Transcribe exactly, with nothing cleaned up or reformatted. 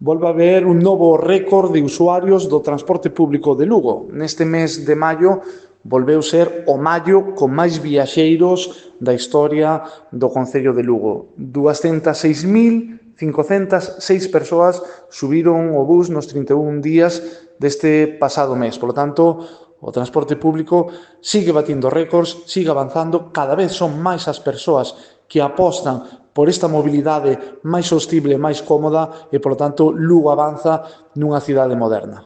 volve a haber un novo récord de usuarios do transporte público de Lugo. Neste mes de maio volveu ser o maio con máis viaxeiros da historia do Concello de Lugo. duascentas e seis mil cincocentas e seis persoas subiron o bus nos trinta e un días deste pasado mes. Por lo tanto, o transporte público sigue batindo récords, sigue avanzando, cada vez son máis as persoas que apostan por esta mobilidade máis sostible, máis cómoda e, por lo tanto, Lugo avanza nunha cidade moderna.